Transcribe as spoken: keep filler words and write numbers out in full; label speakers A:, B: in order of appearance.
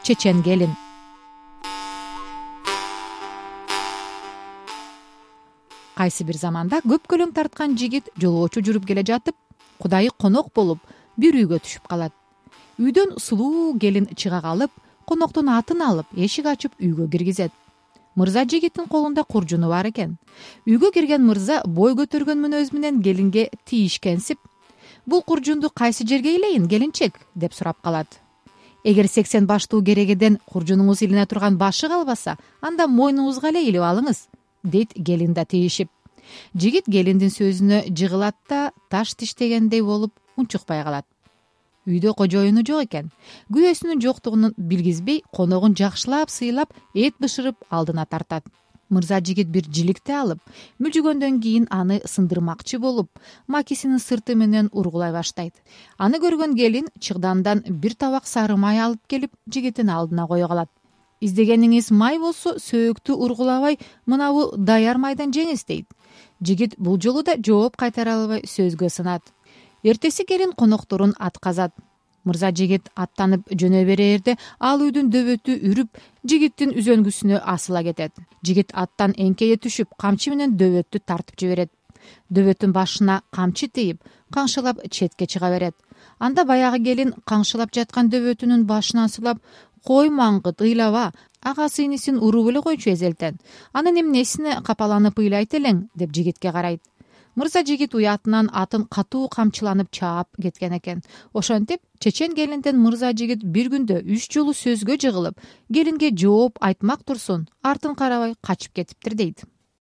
A: чечен келин. Кайсы бир заманда көп көлөң тарткан жигит жолоочу жүрүп келе жатып, кудайы конок болуп бир үйгө түшүп калат. Үйдөн сулуу келин чыга калып, коноктун атын алып, эшик ачып үйгө киргизет. Мырза жигиттин колунда куржуну бар экен. Үйгө кирген мырза бой көтөргөн мүнөз менен келинге тийишкенсип: "Бул куржунду кайсы жерге илейин, келинчек?" деп сурап калат. "Эгер сексен баштуу керегеден куржунуңуз илине турган башы калбаса, анда мойнуңузга эле илип алыңыз", дейт келин да тийишип. Жигит келиндин сөзүнө жыгылат да таш тиштегендей болуп унчукпай калат. Үйдө кожоюну жок экен. Күйөөсүнүн жоктугун билгизбей, коногун жакшылап сыйлап, эт бышырып алдына тартат. Мырза жигит бир жиликти алып, мүлжүгөндөн кийин аны сындырмакчы болуп, макисинин сырты менен ургулай баштайт. Аны көргөн келин чыгдандан бир табак сары май алып келип, жигиттин алдына кое калат. "Издегениңиз май болсо, сөөктү ургулабай, мынабу даяр майдан жеңиз", дейт. Жигит бул жолу да жооп кайтара албай сөзгө сынат. Эртеси келин конокторун атказат. Мырза жигит аттанып жөнө берерде ал үйдүн дөбөтү үрүп, жигиттин үзөнгүсүнө асыла кетет. Жигит аттан эңкейе түшүп, камчы менен дөбөттү тартып жиберет. Дөбөттүн башына камчы тийип, каңшылап четке чыга берет. Анда баягы келин каңшылап жаткан дөбөтүнүн башынан сылап: "Кой маңгыт, ыйлаба, агасы инисин уруп эле койчу эзелтен. Анын эмнесине капаланып ыйлайт элең", деп жигитке карайт. Мырза жигит уятынан атын катуу камчыланып чаап кеткен экен. Ошентип, чечен келинден мырза жигит бир күндө үч жолу сөзгө жыгылып, келинге жооп айтмак турсун, артын карабай качып кетиптир, дейт.